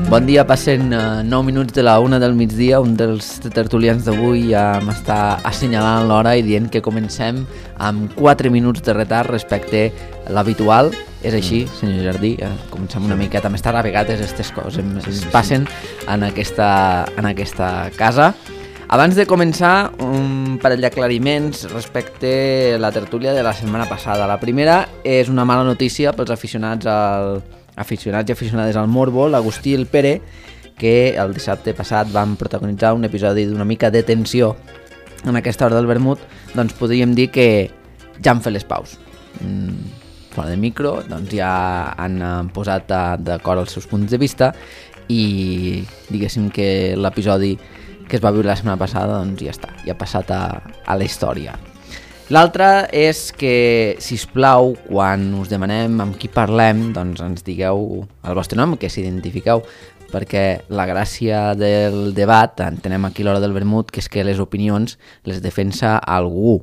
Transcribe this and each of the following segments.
Bon dia, passen 9 minuts de la 1 del migdia. Un dels tertulians d'avui ja m'està assenyalant l'hora i dient que comencem amb 4 minuts de retard respecte a l'habitual. És així, senyor Jardí, comencem una miqueta més tard. A vegades aquestes coses es passen en aquesta casa. Abans de començar, un parell d'aclariments respecte a la tertúlia de la setmana passada. La primera és una mala notícia pels aficionats i aficionades al Morbo, l'Agustí i el Pere, que el dissabte passat van protagonitzar un episodi d'una mica de tensió en aquesta hora del vermut. Doncs podríem dir que ja han fet les paus. Fora de micro, doncs ja han posat d'acord els seus punts de vista i diguéssim que l'episodi que es va viure la setmana passada doncs ja està, ja ha passat a la història. L'altre és que, sisplau, quan us demanem amb qui parlem, doncs ens digueu el vostre nom, que s'identifiqueu, perquè la gràcia del debat, entenem aquí l'hora del vermut, que és que les opinions les defensa algú,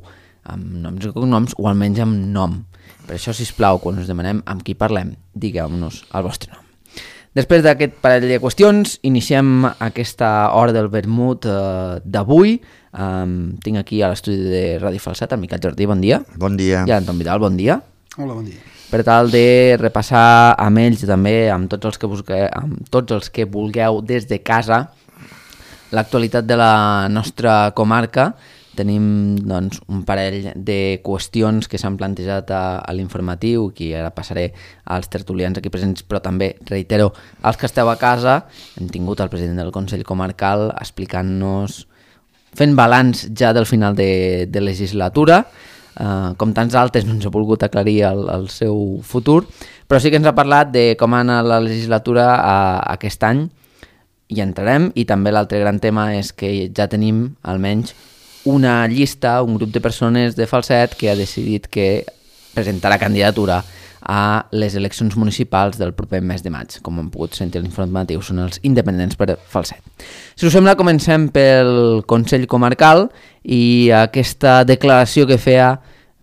amb noms i cognoms o almenys amb nom. Per això, sisplau, quan us demanem amb qui parlem, digueu-nos el vostre nom. Després d'aquest parell de qüestions, iniciem aquesta hora del vermut d'avui. Tinc aquí a l'estudi de Ràdio Falset el Miquel Jardí, bon dia. Bon dia. I l'Anton Vidal, bon dia. Hola, bon dia. Per tal de repassar amb ells i també amb tots els que vulgueu des de casa l'actualitat de la nostra comarca, tenim doncs, un parell de qüestions que s'han plantejat a l'informatiu, que ara passaré als tertulians aquí presents, però també, reitero, als que esteu a casa. Hem tingut el president del Consell Comarcal explicant-nos, fent balanç ja del final de legislatura. Com tants altres no ens ha volgut aclarir el seu futur, però sí que ens ha parlat de com ha anat la legislatura aquest any, i entrarem. I també l'altre gran tema és que ja tenim almenys una llista, un grup de persones de Falset que ha decidit que presentarà candidatura a les eleccions municipals del proper mes de maig. Com hem pogut sentir a l'informatiu, són els independents per Falset. Si us sembla, comencem pel Consell Comarcal i aquesta declaració que feia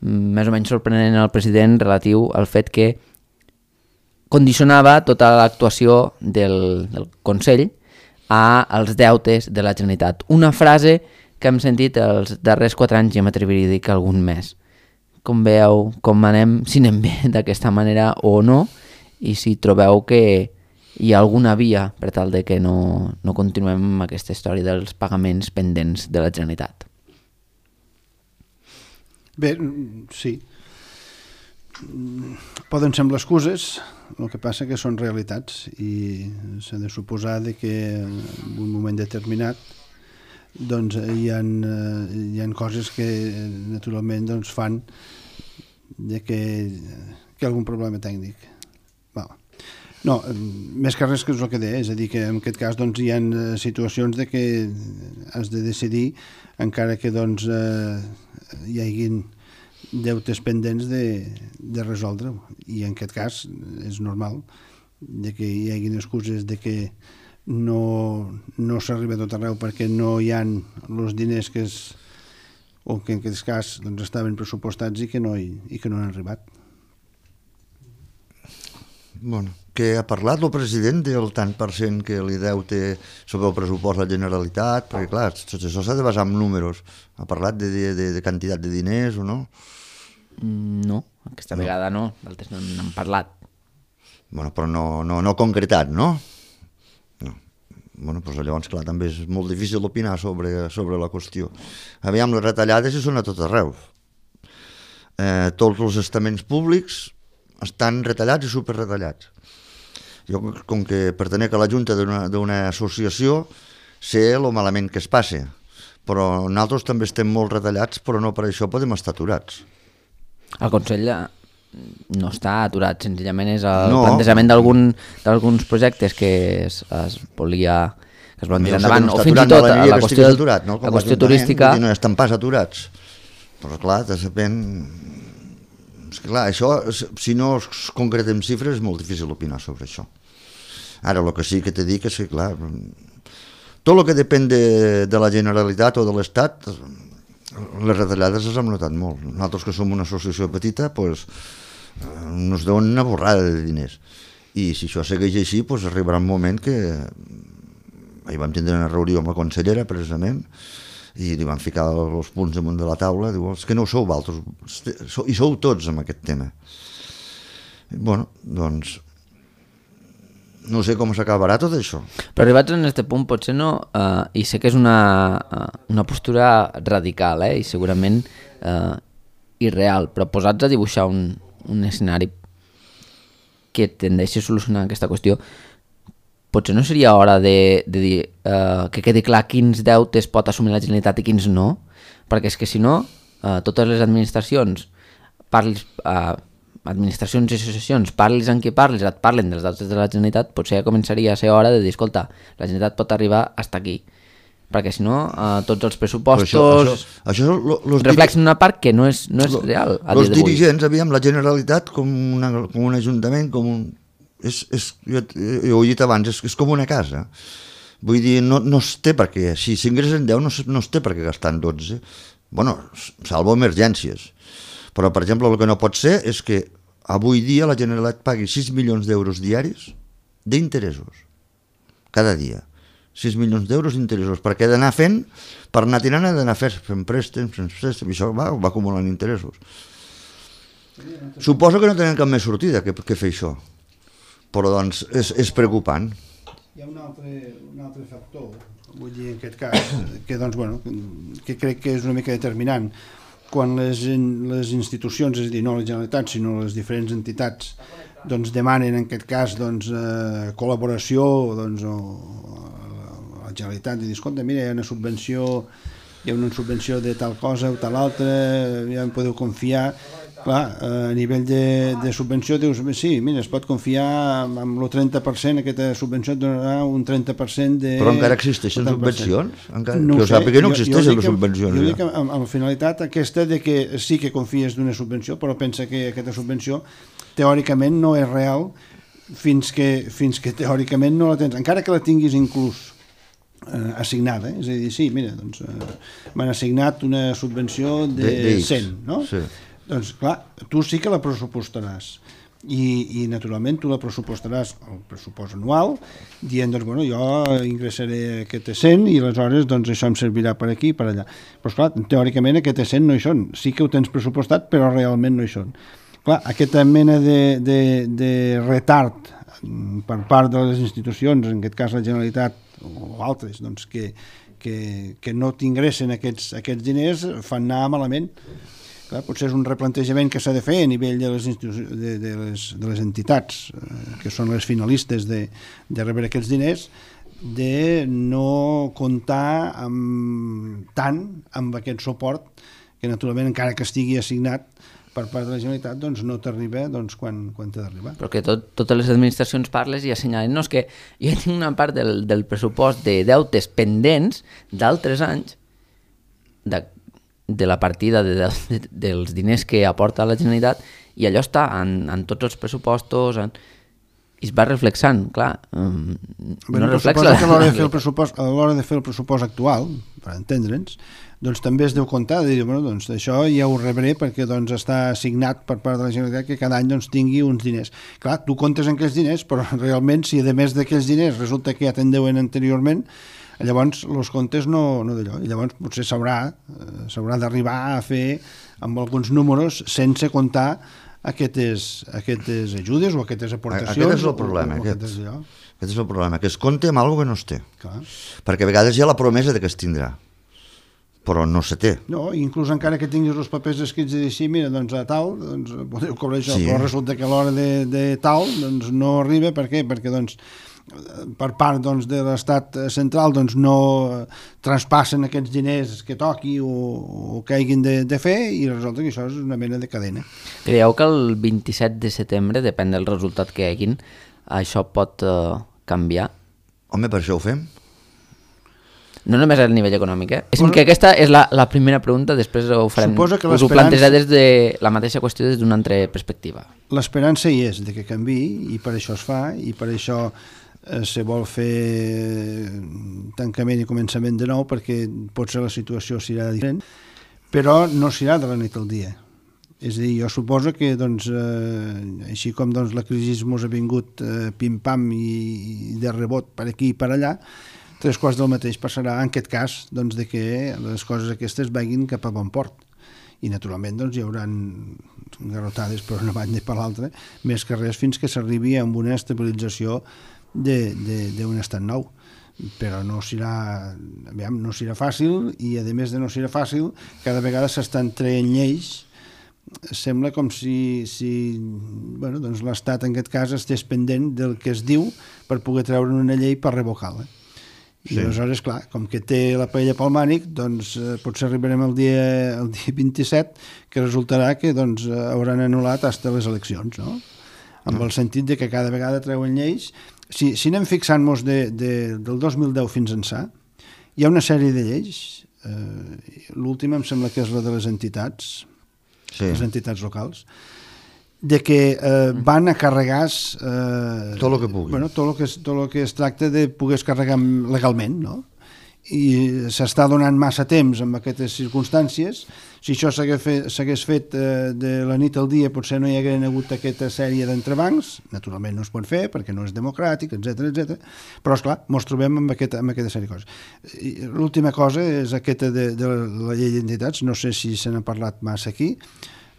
més o menys sorprenent el president relatiu al fet que condicionava tota l'actuació del Consell als deutes de la Generalitat. Una frase que hem sentit els darrers 4 anys, i m'atreviria a dir que algun més. Com veieu, com anem, si anem bé d'aquesta manera o no, i si trobeu que hi ha alguna via per tal de que no continuem amb aquesta història dels pagaments pendents de la Generalitat. Bé, sí. Poden semblar excuses, el que passa que són realitats i s'ha de suposar que en un moment determinat doncs hi ha coses que naturalment doncs, fan que algun problema tècnic. No, més que res que és el que deia, és a dir, que en aquest cas doncs, hi ha situacions de que has de decidir, encara que doncs, hi haguin deutes pendents de resoldre, i en aquest cas és normal de que hi haguin excuses de que no s'arriba a tot arreu perquè no hi ha els diners que en aquest cas doncs, estaven pressupostats i que no han arribat. Bueno, que ha parlat el president del tant per cent que li deute sobre el pressupost de la Generalitat, perquè clar, tot això s'ha de basar en números. Ha parlat de quantitat de diners o no? No, aquesta vegada no, d'altres no n'han parlat. Bueno, però no concretat, no? Bueno, doncs llavors, clar, també és molt difícil opinar sobre la qüestió. Aviam, les retallades hi són a tot arreu. Tots els estaments públics estan retallats i superretallats. Jo, com que pertenec a la junta d'una associació, sé el malament que es passa, però nosaltres també estem molt retallats, però no per això podem estar aturats. El Consell no està aturat, senzillament és el plantejament d'alguns projectes que es volen tirar endavant, o fins i tot la qüestió turística. No estan pas aturats, però clar, és que clar, això, si no es concretem xifres, és molt difícil opinar sobre això. Ara, el que sí que t'he dit és que, clar, tot el que depèn de la Generalitat o de l'Estat, les retallades les hem notat molt. Nosaltres, que som una associació petita, doncs, ens donen una borrada de diners. I si això segueix així, doncs arribarà un moment que... Ahir vam tindre una reunió amb la consellera, precisament, i li van ficar els punts damunt de la taula, diu, és que no ho sou vosaltres, i sou tots amb aquest tema. Bueno, doncs, no sé com s'acabarà tot això. Però arribats en aquest punt potser no, i sé que és una postura radical, i segurament irreal, però posats a dibuixar un escenari que tendeixi a solucionar aquesta qüestió, potser no seria hora de dir que quedi clar quins deutes pot assumir la Generalitat i quins no, perquè és que si no, totes les administracions, administracions i associacions, parlis amb qui parlis, et parlen dels deutes de la Generalitat, potser ja començaria a ser hora de dir, escolta, la Generalitat pot arribar fins aquí, perquè si no, tots els pressupostos reflexen una part que no és real a dia d'avui. Els dirigents, aviam, la Generalitat com un ajuntament, com un... jo ho he dit abans, és com una casa. Vull dir, no es té per què, si s'ingressen 10 no es té per què gastar en 12. Bueno, salvo emergències. Però, per exemple, el que no pot ser és que avui dia la Generalitat pagui 6 milions d'euros diaris d'interessos. Cada dia. 6 milions d'euros d'interessos. Perquè he d'anar fent, per anar tirant, he d'anar fent préstecs, i això va acumulant interessos. Suposo que no tenen cap més sortida que fer això. Però doncs és preocupant. Hi ha un altre factor, vull dir, en aquest cas, que, doncs, bueno, que crec que és una mica determinant. Quan les institucions, és a dir, no la Generalitat, sinó les diferents entitats, doncs demanen, en aquest cas, doncs, col·laboració, doncs, a la Generalitat, i dir, escolta, mira, hi ha una subvenció de tal cosa o tal altra, ja em podeu confiar. Clar, a nivell de subvenció dius, sí, mira, es pot confiar amb el 30%, aquesta subvenció et donarà un 30% de... Però encara existeixen subvencions? No jo sàpiga que no existeixen les subvencions. Jo dic amb la finalitat aquesta de que sí que confies d'una subvenció, però pensa que aquesta subvenció teòricament no és real fins que teòricament no la tens, encara que la tinguis inclús assignada, és a dir, sí, mira, doncs m'han assignat una subvenció de 100, no? Sí. Doncs clar, tu sí que la pressupostaràs i naturalment tu la pressupostaràs el pressupost anual dient, doncs bueno, jo ingressaré aquest 100 i aleshores doncs això em servirà per aquí i per allà, però clar, teòricament aquest 100 no hi són, sí que ho tens pressupostat però realment no hi són. Clar, aquesta mena de retard per part de les institucions, en aquest cas la Generalitat o altres, doncs que no t'ingressen aquests diners fan anar malament. Clar, potser és un replantejament que s'ha de fer a nivell de les entitats que són les finalistes de rebre aquests diners, de no comptar tant amb aquest suport que naturalment encara que estigui assignat per part de la Generalitat doncs no t'arriba doncs, quan t'ha d'arribar. Però que totes les administracions parles i assenyalen, no, és que jo tinc una part del pressupost de deutes pendents d'altres anys de la partida dels diners que aporta la Generalitat i allò està en tots els pressupostos i es va reflexant, clar. No reflexa que a l'hora de fer el pressupost actual, per entendre'ns, doncs també es deu comptar de dir, bueno, doncs això ja ho rebré perquè doncs està assignat per part de la Generalitat que cada any doncs tingui uns diners. Clar, tu comptes en aquells diners, però realment si a més d'aquells diners resulta que ja te'n deuen anteriorment, llavors els comptes no d'allò, i llavors potser s'haurà d'arribar a fer amb alguns números sense comptar aquestes ajudes o aquestes aportacions. Aquest és el problema, aquest és el problema, que es compta amb alguna cosa que no es té. Clar. Perquè a vegades hi ha la promesa de que es tindrà, però no se té. No, inclús encara que tinguis els papers escrits i dir, sí, mira, doncs a tal, doncs podeu cobrar això, sí. Però resulta que a l'hora de tal, doncs no arriba, per què? Perquè doncs per part doncs, de l'estat central doncs, no traspassen aquests diners que toqui o que hagin de fer i resulta que això és una mena de cadena. Creieu que el 27 de setembre, depèn del resultat que hagin, això pot canviar? Home, per això ho fem. No només a nivell econòmic, Bueno, que aquesta és la primera pregunta, després ho farem. Us ho plantejaré des de la mateixa qüestió des d'una altra perspectiva. L'esperança hi és de que canviï i per això es fa i per això se vol fer tancament i començament de nou perquè potser la situació serà diferent, però no serà de la nit al dia. És a dir, jo suposo que doncs, així com doncs, la crisi ens ha vingut pim-pam i de rebot per aquí i per allà, 3 quarts del mateix passarà en aquest cas doncs, de que les coses aquestes vagin cap a bon port. I naturalment doncs, hi haurà garrotades per una banda i per l'altra, més que res fins que s'arribi a una estabilització d'un estat nou. Però no serà fàcil, i a més de no serà fàcil, cada vegada s'estan traient lleis. Sembla com si doncs l'Estat en aquest cas estés pendent del que es diu per poder treure una llei per revocar-la. I aleshores, clar, com que té la paella pel mànic, doncs potser arribarem el dia 27, que resultarà que doncs, hauran anul·lat fins les eleccions, no? Amb el sentit de que cada vegada treuen lleis. Si anem fixant-nos del 2010 fins ençà, hi ha una sèrie de lleis. L'última em sembla que és la de les entitats, les entitats locals, de que van a carregar tot el que pugui. Tot el que es tracta de poder carregar legalment, no? I s'està donant massa temps en aquestes circumstàncies. Si això s'hagués fet de la nit al dia, potser no hi hagués hagut aquesta sèrie d'entrebancs. Naturalment no es pot fer perquè no és democràtic, etc. Però esclar, ens trobem amb aquesta sèrie de coses. L'última cosa és aquesta de la llei d'entitats. No sé si se n'ha parlat massa aquí.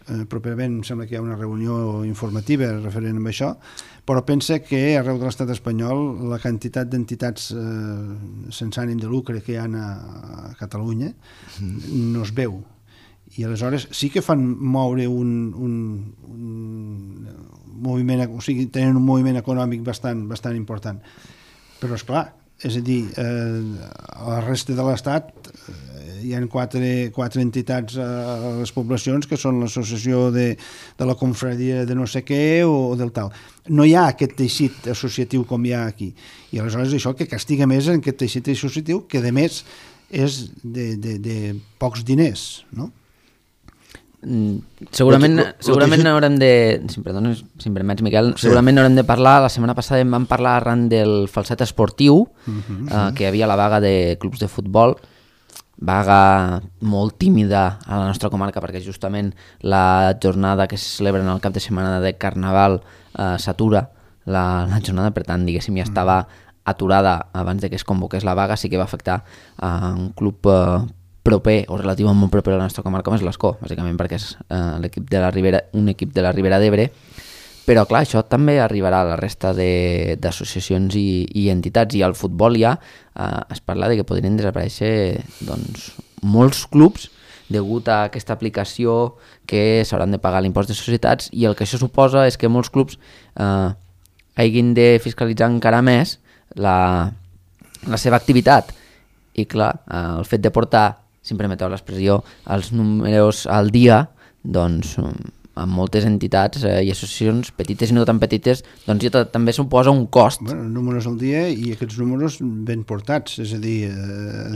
Properament em sembla que hi ha una reunió informativa referent a això, però pensa que arreu de l'estat espanyol la quantitat d'entitats sense ànim de lucre que hi ha a Catalunya no es veu, i aleshores sí que fan moure un moviment, o sigui, tenen un moviment econòmic bastant important, però esclar, és a dir, a la resta de l'estat hi ha quatre entitats a les poblacions que són l'associació de la confraria de no sé què o del tal. No hi ha aquest teixit associatiu com hi ha aquí. I aleshores això que castiga més en aquest teixit associatiu, que a més és de pocs diners, no? Segurament haurem de... Si em permets, Miquel, segurament haurem de parlar, la setmana passada en vam parlar arran del falset esportiu, que hi havia la vaga de clubs de futbol, vaga molt tímida a la nostra comarca perquè justament la jornada que se celebra en el cap de setmana de Carnaval s'atura la jornada, per tant, diguéssim, ja estava aturada abans de que es convoqués la vaga. Sí que va afectar a un club proper o relativament molt proper a la nostra comarca, com és l'Escó, bàsicament perquè és un equip de la Ribera d'Ebre. Però clar, això també arribarà a la resta d'associacions i entitats, i al futbol ja es parla de que podrien desaparèixer doncs, molts clubs degut a aquesta aplicació que s'hauran de pagar l'impost de societats, i el que això suposa és que molts clubs hagin de fiscalitzar encara més la seva activitat, i clar, el fet de portar, si em permeteu l'expressió, els números al dia, doncs amb moltes entitats i associacions petites i no tan petites, doncs ja també suposa un cost. Bueno, números al dia, i aquests números ben portats, és a dir, ha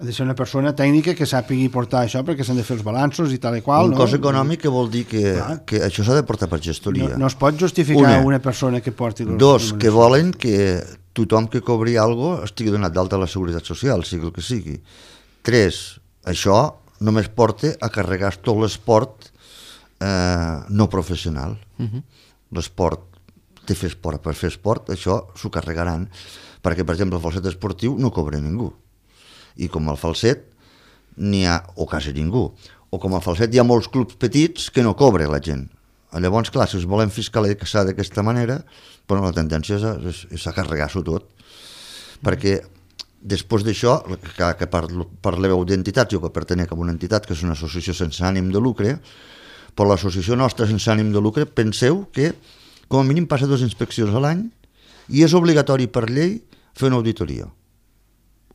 de ser una persona tècnica que sàpigui portar això, perquè s'han de fer els balanços i tal i qual. Un cost econòmic que vol dir que això s'ha de portar per gestoria. No es pot justificar una persona que porti... Dos, que volen que tothom que cobri alguna cosa estigui donat d'alta a la Seguretat Social, sigui el que sigui. 3, això només porta a carregar tot l'esport no professional. L'esport, de fer esport per fer esport, això s'ho carregaran, perquè per exemple el falset esportiu no cobra ningú, i com el falset n'hi ha o quasi ningú, o com el falset hi ha molts clubs petits que no cobra la gent. Llavors, clar, si us volem fiscalitzar d'aquesta manera, però la tendència és a carregar-s'ho tot, perquè després d'això, que parleu d'entitats, jo que pertenec a una entitat que és una associació sense ànim de lucre, però l'associació nostra sense ànim de lucre, penseu que com a mínim passa 2 inspeccions a l'any i és obligatori per llei fer una auditoria.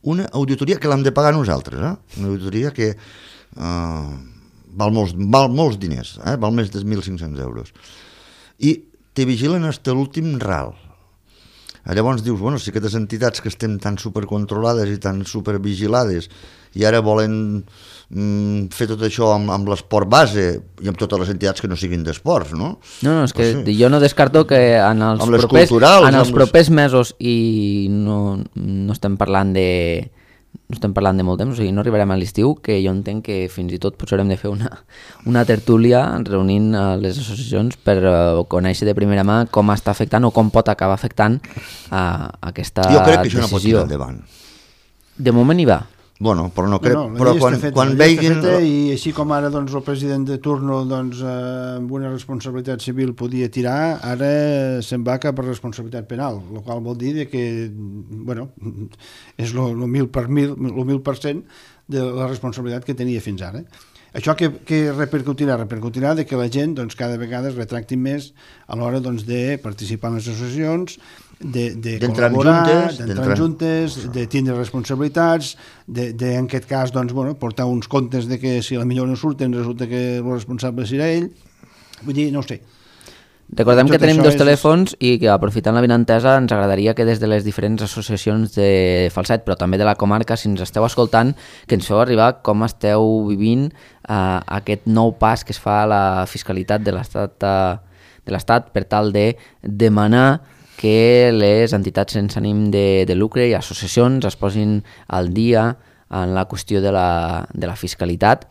Una auditoria que l'hem de pagar nosaltres, una auditoria que val molts diners, val més de 1.500 euros. I te vigilen fins a l'últim ral. Llavors dius, bueno, si aquestes entitats que estem tan supercontrolades i tan supervigilades i ara volen fer tot això amb l'esport base i amb totes les entitats que no siguin d'esports, no? No, és que jo no descarto que en els propers mesos, i no estem parlant no estem parlant de molt temps, o sigui, no arribarem a l'estiu, que jo entenc que fins i tot potser haurem de fer una tertúlia reunint les associacions per conèixer de primera mà com està afectant o com pot acabar afectant aquesta decisió. Jo crec que això no pot tirar endavant. De moment hi va. Bueno, però no crec, Bueno, però quan veiguin... I així com ara doncs, el president de turno doncs, amb una responsabilitat civil podia tirar, ara se'n va cap a responsabilitat penal, el qual vol dir que bueno, és el 1000% de la responsabilitat que tenia fins ara. Això que repercutirà? Repercutirà de que la gent doncs, cada vegada es retracti més a l'hora doncs, de participar en les associacions, de col·laborar, d'entrar juntes, de tindre responsabilitats, en aquest cas doncs, bueno, portar uns comptes de que si a la millor no surten resulta que el responsable serà ell. Vull dir, no ho sé. Recordem que tenim dos telèfons i que aprofitant la vinentesa ens agradaria que des de les diferents associacions de Falset, però també de la comarca, si ens esteu escoltant, que ens feu arribar com esteu vivint aquest nou pas que es fa a la fiscalitat de l'Estat per tal de demanar que les entitats sense ànim de lucre i associacions es posin al dia en la qüestió de la fiscalitat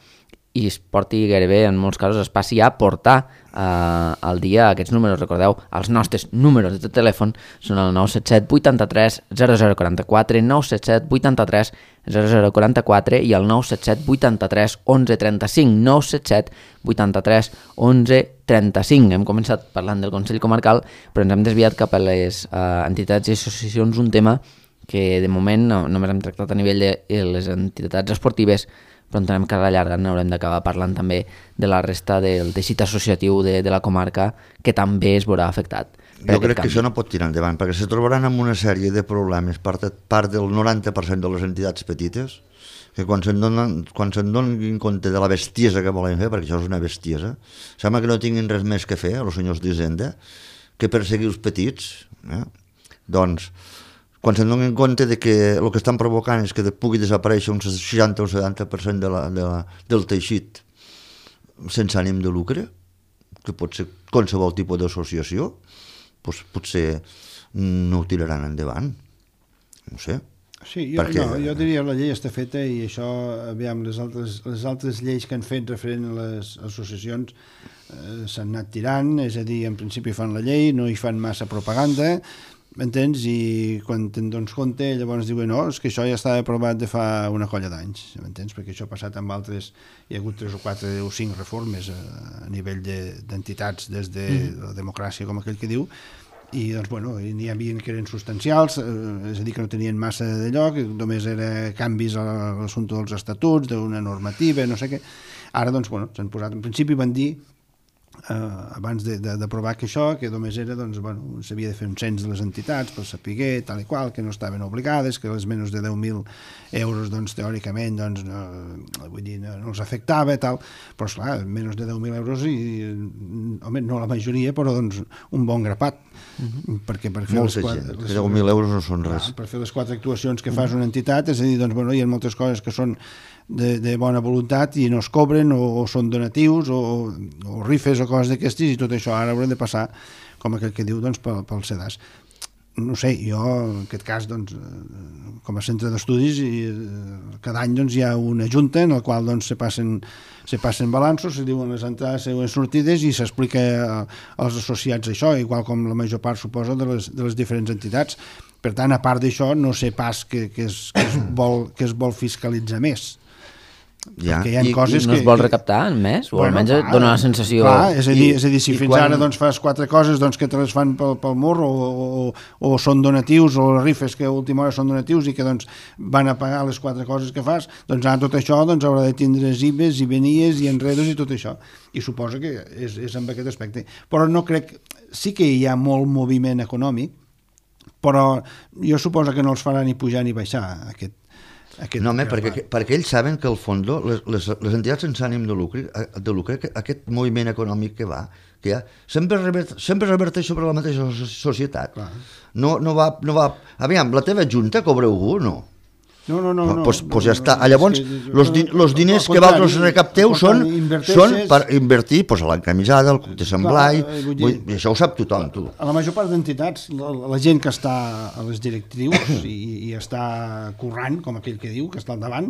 i es porti gairebé, en molts casos, es passi a portar al dia aquests números. Recordeu, els nostres números de telèfon són el 977 83 0044, 977 83 0044 i el 977 83 11 35, 977 83 11 35. Hem començat parlant del Consell Comarcal, però ens hem desviat cap a les entitats i associacions, un tema que de moment només hem tractat a nivell de les entitats esportives, però entenem que a la llarga haurem d'acabar parlant també de la resta del teixit associatiu de la comarca, que també es veurà afectat. Jo crec que això no pot tirar endavant, perquè se trobaran amb una sèrie de problemes part del 90% de les entitats petites, que quan se'n donin compte de la bestiesa que volen fer, perquè això és una bestiesa, sembla que no tinguin res més que fer, els senyors d'Hisenda, que perseguir els petits. Doncs, quan se'n donin compte de que el que estan provocant és que pugui desaparèixer un 60 o 70% del teixit sense ànim de lucre, que pot ser qualsevol tipus d'associació, doncs potser no ho tiraran endavant. No sé. Sí, jo diria que la llei està feta i això, aviam, les altres lleis que han fet referent a les associacions s'han anat tirant, és a dir, en principi fan la llei, no hi fan massa propaganda, m'entens? I quan te'n dones compte, llavors diuen, no, és que això ja estava aprovat de fa una colla d'anys, m'entens? Perquè això ha passat amb altres, hi ha hagut 3 o 4 o 5 reformes a nivell d'entitats des de la democràcia, com aquell que diu, i doncs, bueno, n'hi havia que eren substancials, és a dir, que no tenien massa de lloc, només era canvis a l'assumpte dels estatuts, d'una normativa, no sé què. Ara, doncs, bueno, s'han posat, en principi van dir, abans d'aprovar que això, que només era, doncs, bueno, s'havia de fer un cens de les entitats per saber tal i qual, que no estaven obligades, que les menys de 10.000 euros, doncs, teòricament, doncs, vull dir, no els afectava, tal, però, esclar, menys de 10.000 euros i, home, no la majoria, però, doncs, un bon grapat, perquè per fer molta gent, 10.000 euros no són res. Per fer les 4 actuacions que fas una entitat, és a dir, doncs, bueno, hi ha moltes coses que són de bona voluntat i no es cobren o són donatius o rifes o coses d'aquestes i tot això ara haurem de passar, com aquell que diu, doncs, pel CEDAS. No sé, jo en aquest cas, doncs, com a centre d'estudis, cada any doncs, hi ha una junta en la qual doncs, se passen balanços, se diuen les entrades i les sortides i s'explica als associats això, igual com la major part, suposa, de les diferents entitats. Per tant, a part d'això, no sé pas que es vol fiscalitzar més. Ja. I no es vol recaptar més? O almenys dona la sensació... Clar, és a dir, si fins ara doncs, fas 4 coses doncs, que te les fan pel mur o són donatius o les rifes que a última hora són donatius i que doncs, van a pagar les 4 coses que fas, doncs ara tot això doncs, haurà de tindre IVEs i venies i enredos i tot això. I suposo que és amb aquest aspecte. Però no crec... Sí que hi ha molt moviment econòmic, però jo suposo que no els farà ni pujar ni baixar aquest no, home, perquè ells saben que al fons les entitats sense ànim de lucre, aquest moviment econòmic que hi ha, sempre reverteix sobre la mateixa societat. No va... Aviam, la teva junta cobra algú o no? Pues ja està. Llavors, els diners que vosaltres recapteu són per invertir a l'encamisada, al Club de Sant Blai, i això ho sap tothom, tu. A la major part d'entitats, la gent que està a les directrius i està currant, com aquell que diu, que està al davant,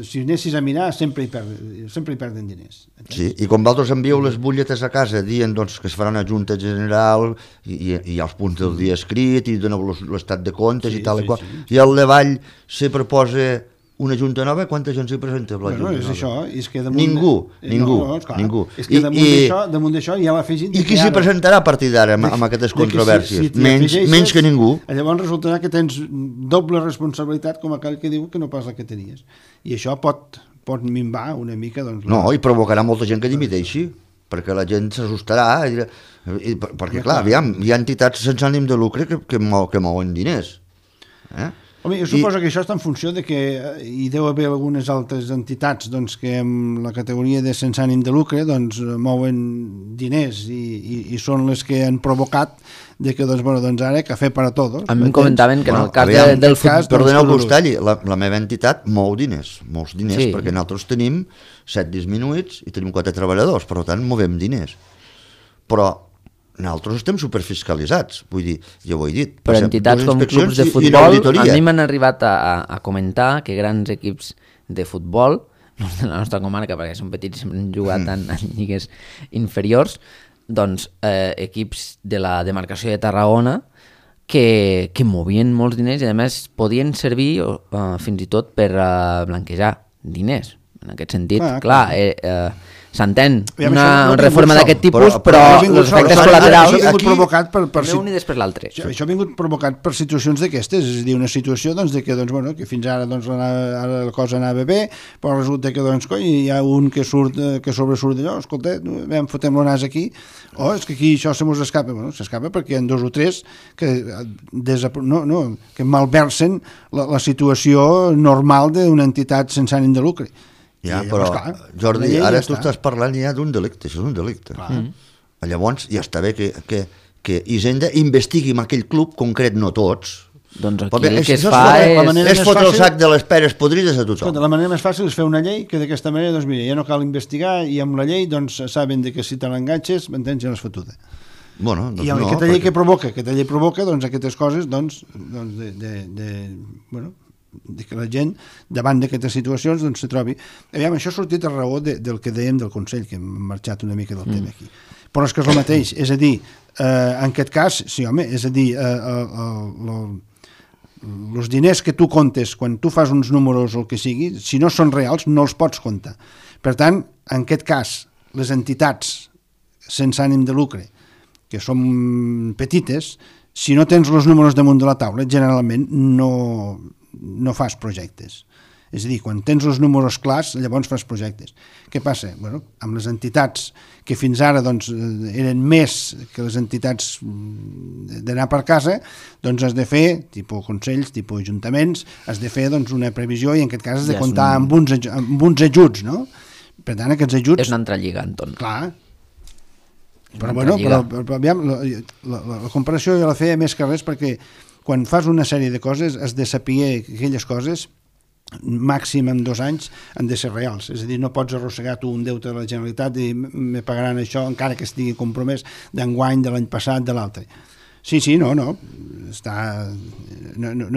si anessis a mirar sempre hi perden diners. Sí, i quan vosaltres envieu les butlletes a casa dient doncs, que es farà una junta general i els punts del dia escrit i doneu l'estat de comptes i tal i qual, i al davall se proposa una junta nova, quanta gent s'hi presenta? És això, és que ningú. És que damunt d'això ja l'ha afegit... I qui s'hi presentarà a partir d'ara amb aquestes controvèrsies? Menys que ningú. Llavors resultarà que tens doble responsabilitat com aquell que diu que no pas la que tenies. I això pot minvar una mica... No, i provocarà molta gent que dimiteixi, perquè la gent s'assustarà, perquè clar, aviam, hi ha entitats sense ànim de lucre que mouen diners. Home, jo suposo que això està en funció de que hi deu haver algunes altres entitats que amb la categoria de sense ànim de lucre mouen diners i són les que han provocat de que ara cafè per a tots. A mi em comentaven que en el cas del futbol... Perdoneu que us talli, la meva entitat mou diners, molts diners, perquè nosaltres tenim 7 disminuïts i tenim 4 treballadors, per tant movem diners. Però nosaltres estem superfiscalitzats, vull dir, ja ho he dit. Però entitats com clubs de futbol, a mi m'han arribat a comentar que grans equips de futbol, no de la nostra comarca, perquè són petits i hem jugat en lligues inferiors, doncs equips de la demarcació de Tarragona que movien molts diners i a més podien servir fins i tot per blanquejar diners. En aquest sentit, clar, s'entén una reforma d'aquest tipus, però els efectes col·laterals ha vingut provocat per un i després l'altre. Això ha vingut provocat per situacions d'aquestes, és a dir, una situació que fins ara la cosa anava bé, però resulta que hi ha un que sobresurt d'allò, escolta, fotem el nas aquí, és que aquí això se mos escapa. S'escapa perquè hi ha 2 o 3 que malversen la situació normal d'una entitat sense ànim de lucre. Ja, però, Jordi, ara tu estàs parlant ja d'un delicte, això és un delicte. Llavors, ja està bé que Hisenda investigui en aquell club concret, no tots. Doncs aquí el que es fa és fotre el sac de les peres podrides a tothom. La manera més fàcil és fer una llei que d'aquesta manera, doncs mira, ja no cal investigar i amb la llei saben que si te l'enganxes, m'entens, ja l'has fotuda. I aquesta llei que provoca aquestes coses, de que la gent davant d'aquestes situacions se trobi. Aviam, això ha sortit a raó del que dèiem del Consell, que hem marxat una mica del tema aquí. Però és que és el mateix, és a dir, en aquest cas, sí home, és a dir, els diners que tu comptes quan tu fas uns números o el que sigui, si no són reals no els pots comptar. Per tant, en aquest cas, les entitats sense ànim de lucre, que són petites, si no tens els números damunt de la taula, generalment no fas projectes. És a dir, quan tens els números clars, llavors fas projectes. Què passa? Amb les entitats que fins ara eren més que les entitats d'anar per casa, has de fer, tipus consells, tipus ajuntaments, has de fer una previsió i en aquest cas has de comptar amb uns ajuts, no? Per tant, aquests ajuts... És una altra lliga, Anton. Clar. Però aviam, la comparació jo la feia més que res perquè quan fas una sèrie de coses has de saber que aquelles coses màxim en 2 anys han de ser reals, és a dir, no pots arrossegar tu un deute de la Generalitat i me pagaran això encara que estigui compromès d'enguany, de l'any passat, de l'altre. Sí, no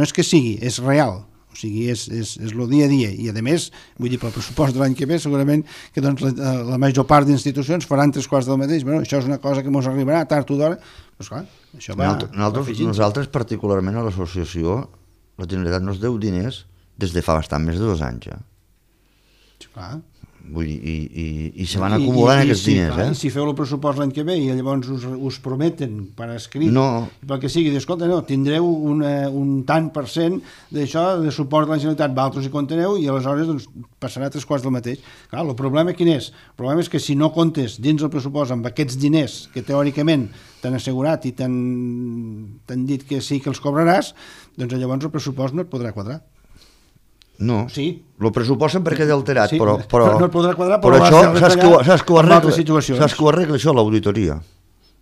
és que sigui, és real, o sigui, és el dia a dia i a més, vull dir, pel pressupost de l'any que ve segurament que la major part d'institucions faran 3/4 del mateix. Això és una cosa que ens arribarà tard o d'hora, doncs clar, això va... Nosaltres particularment a l'associació la Generalitat nos deu diners des de fa bastant més de 2 anys ja. Clar. Vull dir, i se van acumulant aquests diners. I si feu el pressupost l'any que ve i llavors us prometen per escrit, pel que sigui, escolta, tindreu un tant per cent d'això de suport de la Generalitat, vosaltres hi conteneu i aleshores passarà 3/4 del mateix. Clar, el problema quin és? El problema és que si no comptes dins el pressupost amb aquests diners que teòricament t'han assegurat i t'han dit que sí que els cobraràs, doncs llavors el pressupost no et podrà quadrar. No, el pressupost sempre queda alterat, sí, però no et podrà quadrar, però això, saps que ho arregla això, l'auditoria.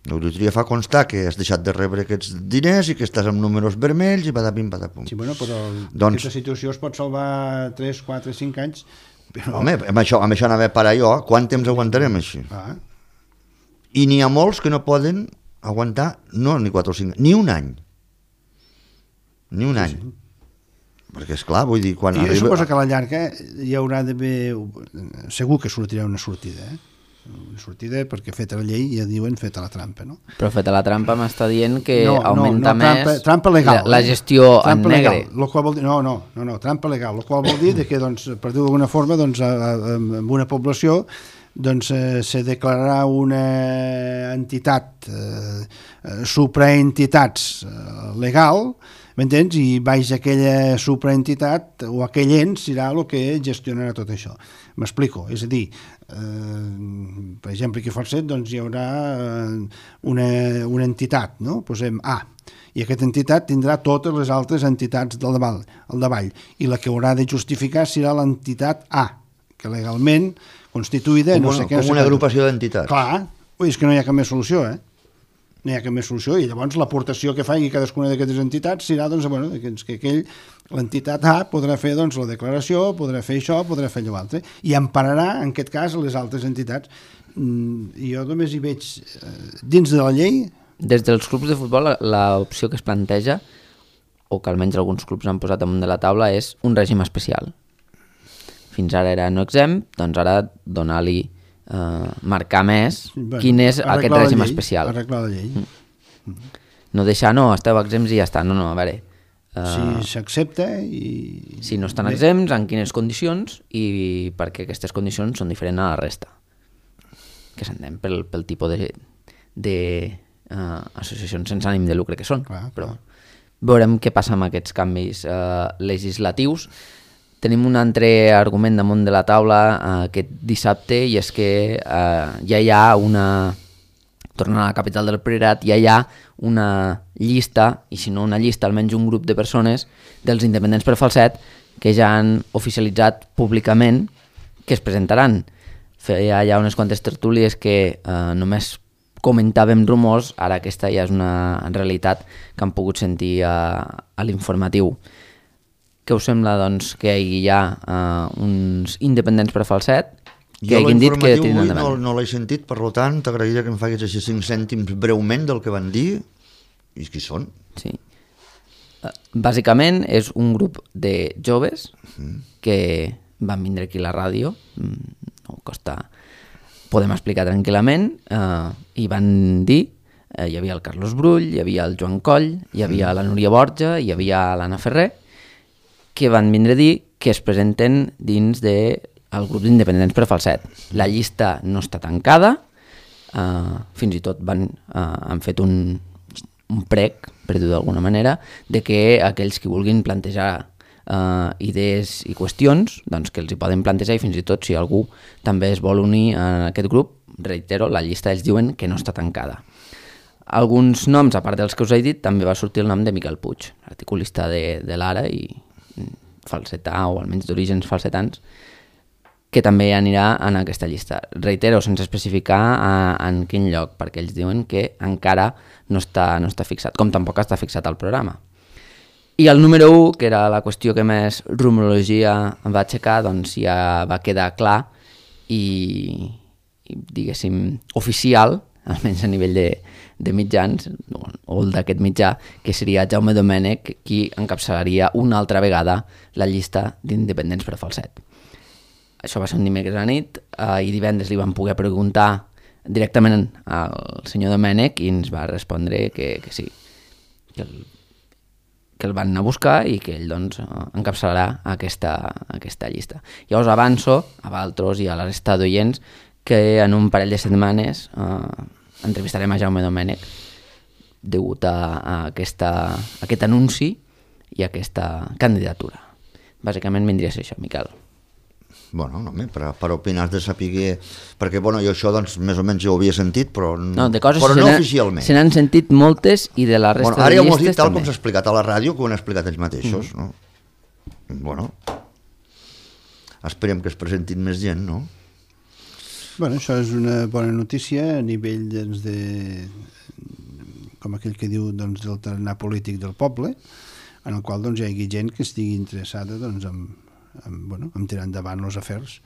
L'auditoria fa constar que has deixat de rebre aquests diners i que estàs amb números vermells i patapim, patapum. Sí, bueno, però Doncs- aquesta situació es pot salvar 3, 4, 5 anys. Però... Home, amb això anava a parar jo. Quant temps aguantarem així? Ah, I n'hi ha molts que no poden aguantar, no ni 4 o 5, ni un any. Ni un any. Perquè, esclar, vull dir, quan I arriba... suposo que a la llarga hi haurà d'haver... Segur que sortirà una sortida, Una sortida perquè feta la llei ja diuen feta la trampa, no? Però feta la trampa m'està dient que No, augmenta més trampa legal, la gestió trampa en negre. legal, lo qual vol dir, no, trampa legal, el qual vol dir que, doncs, per dir d'alguna forma, doncs, en una població doncs, se declararà una entitat, supraentitats legal, m'entens? I baix aquella supraentitat o aquell ens serà el que gestionarà tot això. M'explico, és a dir, per exemple, aquí a Falset doncs, hi haurà una entitat, no? Posem A, i aquesta entitat tindrà totes les altres entitats al davall, i la que haurà de justificar serà l'entitat A, que legalment constituïda... Com una agrupació d'entitats. Clar, és que no hi ha cap més solució, no hi ha cap més solució, i llavors l'aportació que faci cadascuna d'aquestes entitats serà doncs, bueno, que l'entitat A podrà fer doncs, la declaració, podrà fer això, podrà fer allò altre, i empararà, en aquest cas, les altres entitats. Jo només hi veig, dins de la llei... Des dels clubs de futbol, l'opció que es planteja, o que almenys alguns clubs han posat damunt de la taula, és un règim especial. Fins ara era no exempt, doncs ara donar-li, marcar més quin és aquest règim especial. Arreglar la llei. No deixar, no, esteu exempts i ja està. No, a veure... si s'accepta i... Si no estan exempts, en quines condicions i perquè aquestes condicions són diferents a la resta. Que s'entén pel tipus de associacions sense ànim de lucre que són. Però veurem què passa amb aquests canvis legislatius. Tenim un altre argument damunt de la taula aquest dissabte, i és que ja hi ha una... Tornant a la capital del Priorat, ja hi ha una llista, i si no una llista, almenys un grup de persones dels independents per Falset que ja han oficialitzat públicament que es presentaran. Feia ja unes quantes tertúlies que només comentàvem rumors, ara aquesta ja és una realitat que han pogut sentir a l'informatiu. Què us sembla, doncs, que hi ha uns independents per Falset que hagin dit que tiren endavant? No l'he sentit, per tant, t'agrairia que em facis així 5 cèntims breument del que van dir i qui són. Sí. Bàsicament és un grup de joves que van vindre aquí a la ràdio, no costa, podem explicar tranquil·lament, i van dir, hi havia el Carlos Brull, hi havia el Joan Coll, hi havia la Núria Borja, hi havia l'Anna Ferrer, que van vindre a dir que es presenten dins del grup d'independents per Falset. La llista no està tancada, fins i tot han fet un prec, per dir-ho d'alguna manera, de que aquells que vulguin plantejar idees i qüestions, doncs que els hi poden plantejar, i fins i tot si algú també es vol unir a aquest grup, reitero, la llista ells diuen que no està tancada. Alguns noms, a part dels que us he dit, també va sortir el nom de Miquel Puig, articulista de l'Ara i falsetà, o almenys d'orígens falsetans, que també anirà en aquesta llista. Reitero, sense especificar en quin lloc, perquè ells diuen que encara no està fixat, com tampoc està fixat al programa. I el número 1, que era la qüestió que més rumorologia va aixecar, doncs ja va quedar clar i diguéssim, oficial, almenys a nivell de mitjans, o el d'aquest mitjà, que seria Jaume Domènech, qui encapçalaria una altra vegada la llista d'independents per Falset. Això va ser un dimecres a la nit, i divendres li vam poder preguntar directament al senyor Domènech i ens va respondre que sí, que el van anar a buscar i que ell doncs, encapçalarà aquesta llista. Llavors avanço a Valtros i a la resta d'oients que en un parell de setmanes entrevistarem a Jaume Domènech degut a aquest anunci i a aquesta candidatura. Bàsicament vindria a ser això, Miquel. Bueno, no, per opinar de saber... Perquè, bueno, jo això, doncs, més o menys ja ho havia sentit, però no oficialment. Se n'han sentit moltes i de la resta de llistes també. Ara ja ho has dit tal com s'ha explicat a la ràdio, que ho han explicat ells mateixos, no? Bueno, esperem que es presentin més gent, no? Bueno, això és una bona notícia a nivell com aquell que diu del tarannà polític del poble, en el qual hi hagi gent que estigui interessada en tirar endavant els afers.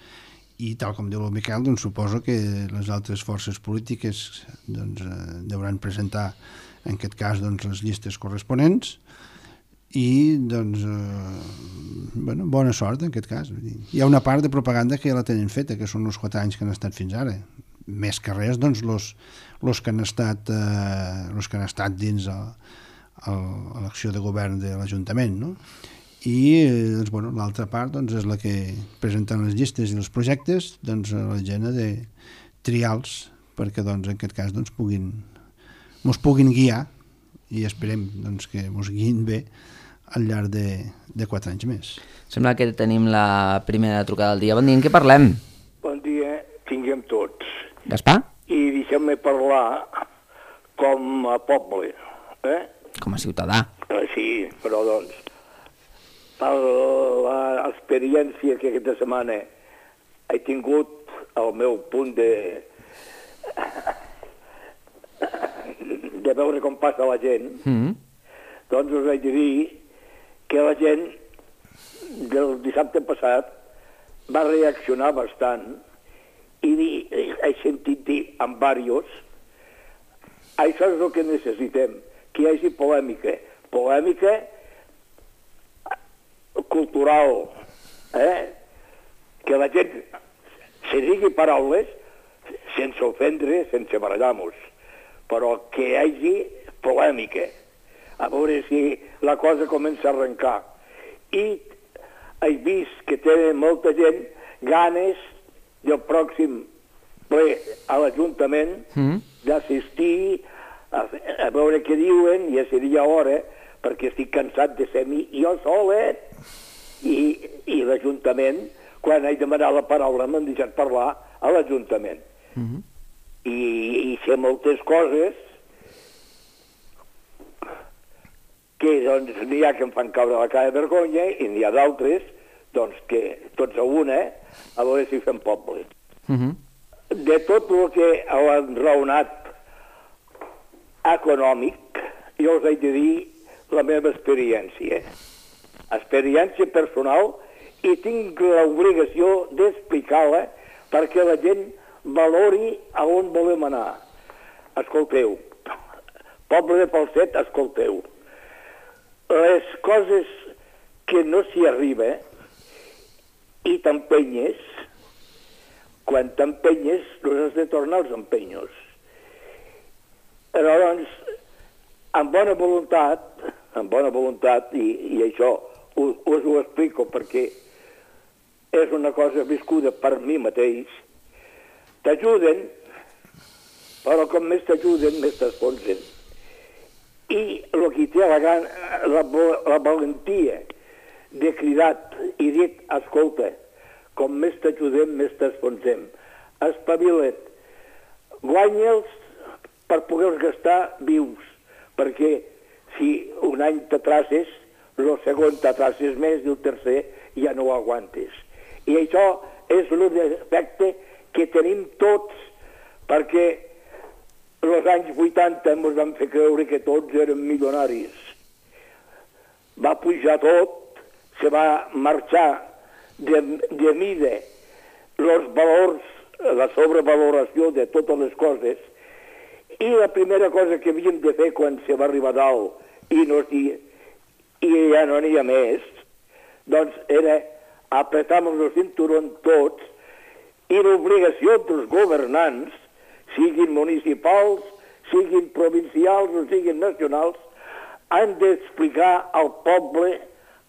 I tal com diu el Miquel, suposo que les altres forces polítiques deuen presentar en aquest cas les llistes corresponents i bona sort en aquest cas. Hi ha una part de propaganda que ja la tenen feta, que són els 4 anys que han estat fins ara. Més que res, els que han estat dins l'acció de govern de l'Ajuntament, no? I l'altra part és la que presenten les llistes i els projectes a la gent de trials perquè en aquest cas mos puguin guiar i esperem que mos guiïn bé al llarg de 4 anys més. Sembla que tenim la primera trucada del dia. Bon dia, en què parlem? Bon dia, tinguem tots. Gaspar? I deixeu-me parlar com a poble, Com a ciutadà. Sí, però per l'experiència que aquesta setmana he tingut al meu punt de veure com passa la gent, doncs us haig de dir que la gent del dissabte passat va reaccionar bastant i he sentit dir amb diversos això és el que necessitem, que hi hagi polèmica cultural, que la gent se digui paraules sense ofendre, sense barallar-nos, però que hi hagi polèmica, a veure si la cosa comença a arrencar. I he vist que té molta gent ganes del pròxim ple a l'Ajuntament d'assistir a veure què diuen, ja seria hora, perquè estic cansat de ser jo solet, i l'Ajuntament, quan he demanat la paraula m'han deixat parlar a l'Ajuntament. I sé moltes coses que n'hi ha que em fan caure la cara de vergonya i n'hi ha d'altres que tots a una, a veure si fem poble. De tot el que han raonat econòmic, jo us haig de dir la meva experiència personal, i tinc l'obligació d'explicar-la perquè la gent valori a on volem anar. Escolteu, poble de Falset, escolteu. Les coses que no s'hi arriba i t'empenyes, quan t'empenyes no has de tornar als empenyos. Però amb bona voluntat, i això us ho explico perquè és una cosa viscuda per mi mateix, t'ajuden, però com més t'ajuden, més t'esponsen. I el que té la valentia de cridar i dir, escolta, com més t'ajudem, més t'esponsem. Espavila't, guanya'ls per poder-los gastar vius, perquè si un any t'atraces, el segon t'atraces més i el tercer ja no ho aguantes. I això és el defecte que tenim tots, perquè els anys 80 ens van fer creure que tots eren milionaris. Va pujar tot, se va marxar de mida els valors, la sobrevaloració de totes les coses, i la primera cosa que havíem de fer quan se va arribar a dalt i ja no n'hi ha més, doncs era apretar-nos el cinturó tots, i l'obligació dels governants, siguin municipals, siguin provincials o siguin nacionals, han d'explicar al poble,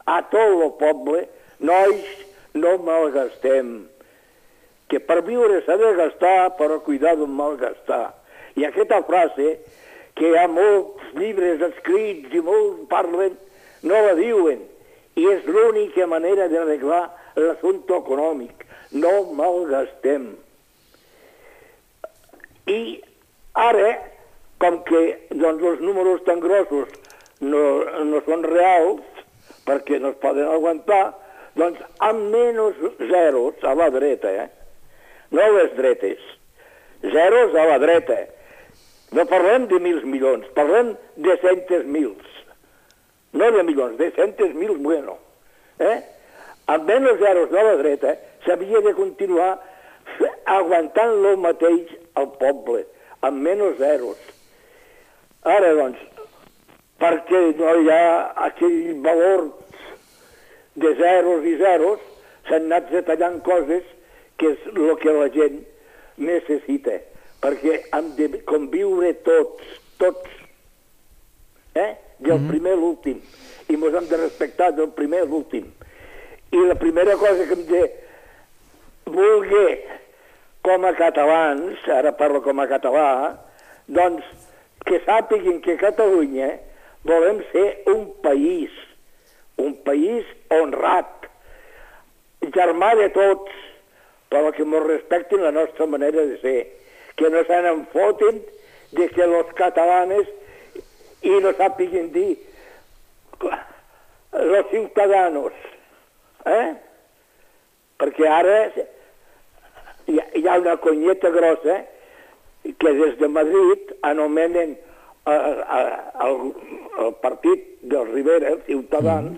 a tot el poble, nois, no malgastem. Que per viure s'ha de gastar, però cuidar d'un malgastar. I aquesta frase, que hi ha molts llibres escrits i molts parlen, no la diuen. I és l'única manera d'arreglar l'assumpte econòmic. No malgastem. I ara, com que els números tan grossos no són reals, perquè no es poden aguantar, doncs amb menys zeros a la dreta, no les dretes. Zeros a la dreta. No parlem de 1.000 milions, parlem de 100.000. No de milions, de 100.000, bueno. Amb menys zeros a la dreta s'havia de continuar aguantant lo mateix al poble, amb menys zeros. Ara, doncs, perquè no hi ha aquell valor de zeros i zeros, s'han anat retallant coses que és el que la gent necessita, perquè hem de conviure tots, del primer a l'últim, i ens hem de respectar del primer a l'últim. I la primera cosa que hem de voler com a catalans, ara parlo com a català, doncs que sàpiguen que Catalunya volem ser un país honrat, germà de tots, però que ens respectin la nostra manera de ser, que no se n'enfotin de que los catalanes i no sàpiguen dir los ciutadanos, perquè ara hi ha una conyeta grossa que des de Madrid anomenen el partit del Rivera, els ciutadans,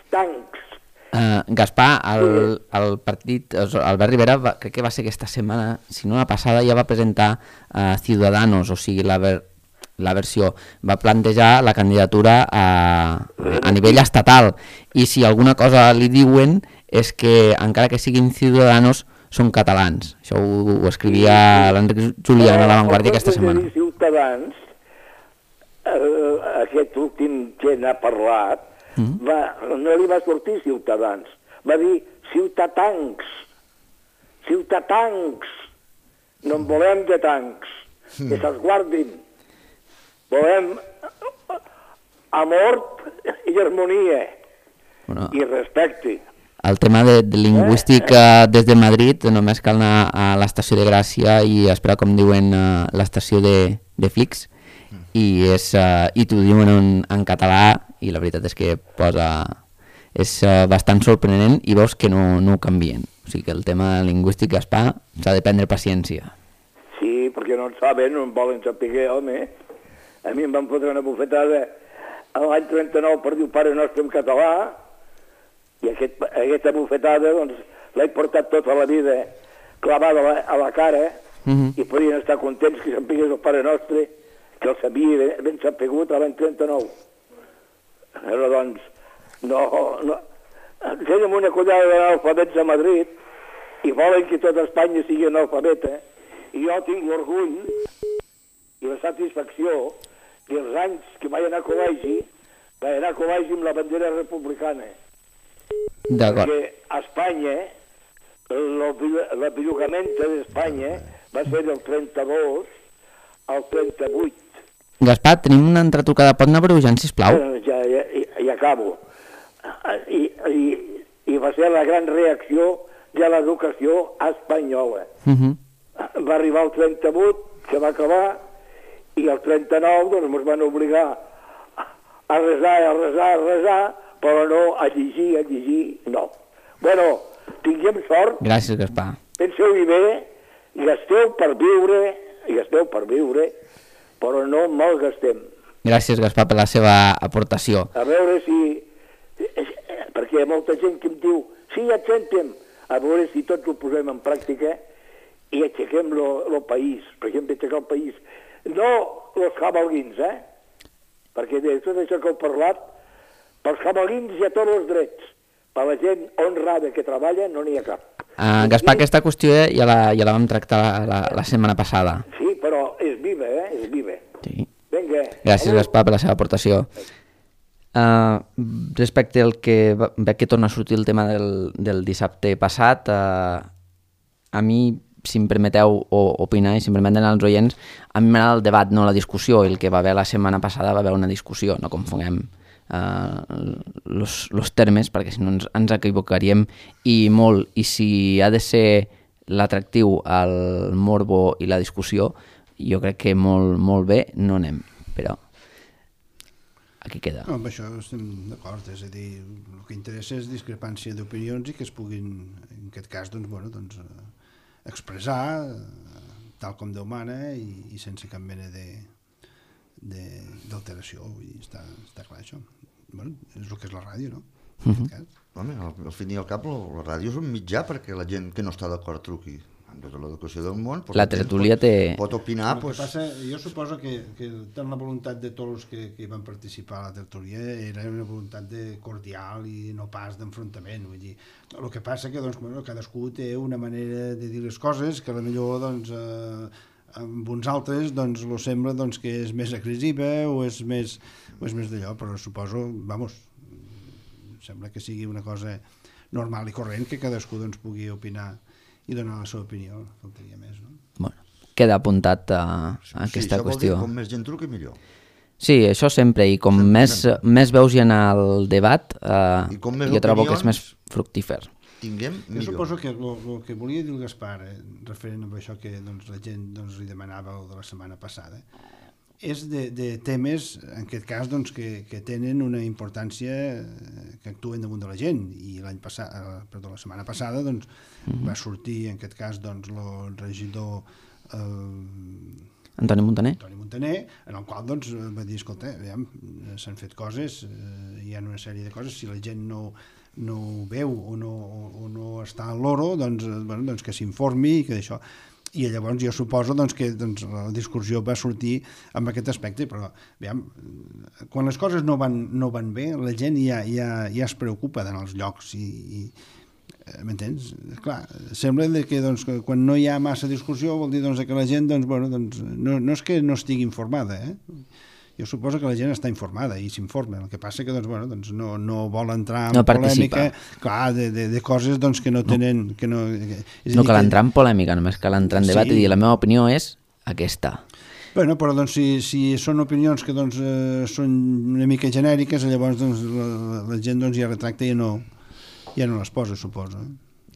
tancs. Gaspar, el partit, Albert Rivera, crec que va ser aquesta setmana, si no la passada, ja va presentar Ciudadanos, o sigui, la versió, va plantejar la candidatura a nivell estatal, i si alguna cosa li diuen és que encara que siguin Ciudadanos són catalans. Això ho escrivia l'Enric Julià a La Vanguardia aquesta setmana. Ciutadans, aquest últim que n'ha parlat, no li va sortir Ciutadans, va dir ciutatancs. No en volem de tancs, que se'ls guardin. Volem amor i harmonia i respecte. El tema de lingüística des de Madrid, només cal anar a l'estació de Gràcia i esperar, com diuen, l'estació de Flix, i t'ho diuen en català, i la veritat és que és bastant sorprenent, i veus que no ho canvien. O sigui que el tema lingüístic, Gaspar, s'ha de prendre paciència. Sí, perquè no en saben, no en volen saber, home. A mi em van fotre una bufetada l'any 39 per dir Pare Nostre en català, i aquesta bufetada doncs, l'he portat tota la vida clavada a la cara, i podien estar contents que sapigués el Pare Nostre, que el sabia ben sapigut l'any 39. Però doncs, no. Tenim una collada d'analfabets a Madrid i volen que tota Espanya sigui analfabeta, i jo tinc l'orgull i la satisfacció dels anys que vaig anar a col·legi amb la bandera republicana. D'acord. Perquè a Espanya, la bellugament d'Espanya va ser del 32 al 38. Gaspar, tenim una altra trucada, pot anar brujant, sisplau? Ja acabo. I va ser la gran reacció de l'educació espanyola. Va arribar el 38, que va acabar, i el 39 doncs ens van obligar a resar, però no a llegir, no. Bueno, tinguem sort. Gràcies, Gaspar. Penseu-hi bé, gasteu per viure, però no malgastem. Gràcies, Gaspar, per la seva aportació. A veure si... Perquè hi ha molta gent que em diu sí, et sentem. A veure si tots ho posem en pràctica i aixequem el país. Per exemple, aixecar el país. No els cabalguins, perquè de tot això que heu parlat, pels cabalguins hi ha tots els drets. Per la gent honrada que treballa no n'hi ha cap. Gaspar, aquesta qüestió ja la vam tractar la setmana passada. Sí, però és viva, és viva. Sí. Vinga. Gràcies, Gaspar, per la seva aportació. Respecte al que veig que torna a sortir el tema del dissabte passat, a mi, si em permeteu opinar i si em permeten els oients, a mi m'agrada el debat, no la discussió, i el que va haver la setmana passada va haver una discussió, no confonguem los termes, perquè si no ens equivocaríem i molt, i si ha de ser l'atractiu al morbo i la discussió, jo crec que molt bé no anem, però aquí queda. No, amb això estem d'acord, és a dir, el que interessa és discrepància d'opinions i que es puguin, en aquest cas, doncs, bueno, doncs, expressar tal com Déu mana i sense cap mena d'alteració. Està clar això. Bueno, és el que és la ràdio, no? En aquest cas. Home, al fin i al cap la ràdio és un mitjà perquè la gent que no està d'acord truqui. Amb tota l'educació del món, la tertúlia pot opinar. El que passa, jo suposo que tant la voluntat de tots els que hi van participar a la tertúlia era una voluntat cordial i no pas d'enfrontament. Vull dir, el que passa que doncs, bueno, cadascú té una manera de dir les coses que potser doncs, amb uns altres doncs, lo sembla doncs, que és més agressiva o és més d'allò, però suposo, sembla que sigui una cosa normal i corrent que cadascú doncs, pugui opinar i donar la seva opinió, faltaria més, no? Bueno, queda apuntat a aquesta qüestió. Dir, com més gent truqui, millor. Sí, això sempre, i com més veus hi ha al debat, jo trobo que és més fructífer. Tinguem millor. Jo suposo que el que volia dir el Gaspar, referent a això que doncs, la gent doncs, li demanava de la setmana passada, és de temes, en aquest cas, doncs, que tenen una importància que actuen damunt de la gent. I la setmana passada doncs, va sortir, en aquest cas, doncs, el regidor Antoni Montaner, en el qual doncs, va dir, escolta, s'han fet coses, hi ha una sèrie de coses, si la gent no ho veu o no està al loro, doncs que s'informi i que d'això. I llavors jo suposo que la discussió va sortir amb aquest aspecte, però quan les coses no van bé, la gent ja es preocupa d'anar als llocs i m'entens? Clar, sembla que quan no hi ha massa discussió vol dir que la gent no és que no estigui informada, jo suposo que la gent està informada i s'informa, el que passa que no vol entrar en polèmica, clar, de coses que no tenen... No cal entrar en polèmica, només cal entrar en debat i dir la meva opinió és aquesta. Bueno, però si són opinions que són una mica genèriques, llavors la gent ja retracta i ja no les posa, suposo.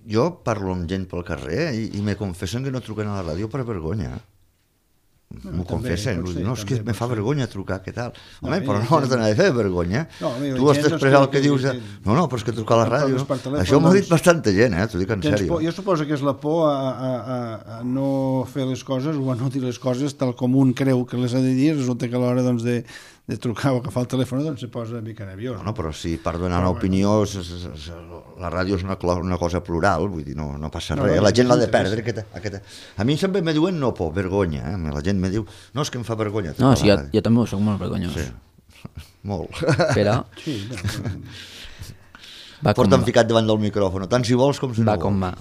Jo parlo amb gent pel carrer i me confessen que no truquen a la ràdio per vergonya. M'ho confessen, no, és que me fa vergonya trucar, què tal? Home, però no has d'anar a fer vergonya. Tu has d'expressar el que dius. No, però és que trucar a la ràdio... Això m'ho ha dit bastanta gent, t'ho dic en sèrio. Jo suposo que és la por a no fer les coses o a no dir les coses tal com un creu que les ha de dir, resulta que a l'hora de trucar o agafar el telèfon se posa una mica nerviós. No, però si per donar una opinió la ràdio és una cosa plural, vull dir, no passa res, la gent l'ha de perdre. A mi sempre me diuen no por, vergonya, la gent me diu, no, és que em fa vergonya. No, sí, jo també soc molt vergonyós. Sí, molt. Però... Porta'm ficat davant del micròfon, tant si vols com si no vols. Va com va.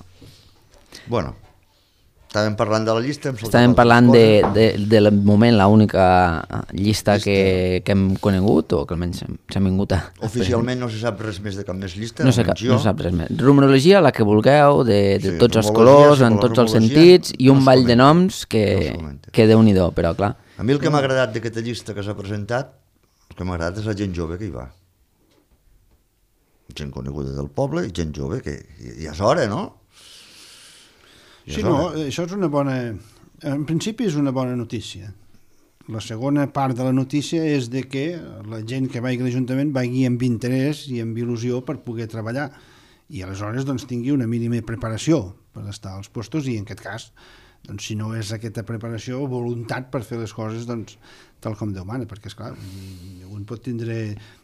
Bueno, estàvem parlant de la llista. Estàvem parlant de moment l'única llista que hem conegut o que almenys s'ha vingut a... Oficialment no se sap res més de cap més llista? No se sap res més. Rumorologia, la que vulgueu, de tots els colors, en tots els sentits, i un ball de noms que Déu-n'hi-do, però clar. A mi el que m'ha agradat d'aquesta llista que s'ha presentat, el que m'ha agradat és la gent jove que hi va. Gent coneguda del poble i gent jove, que ja és hora, no? Sí, no, això és una bona... En principi és una bona notícia. La segona part de la notícia és de que la gent que vagi a l'Ajuntament vagi amb interès i amb il·lusió per poder treballar i aleshores tingui una mínima preparació per estar als puestos i en aquest cas, si no és aquesta preparació, voluntat per fer les coses tal com Déu mana, perquè esclar, un pot tindre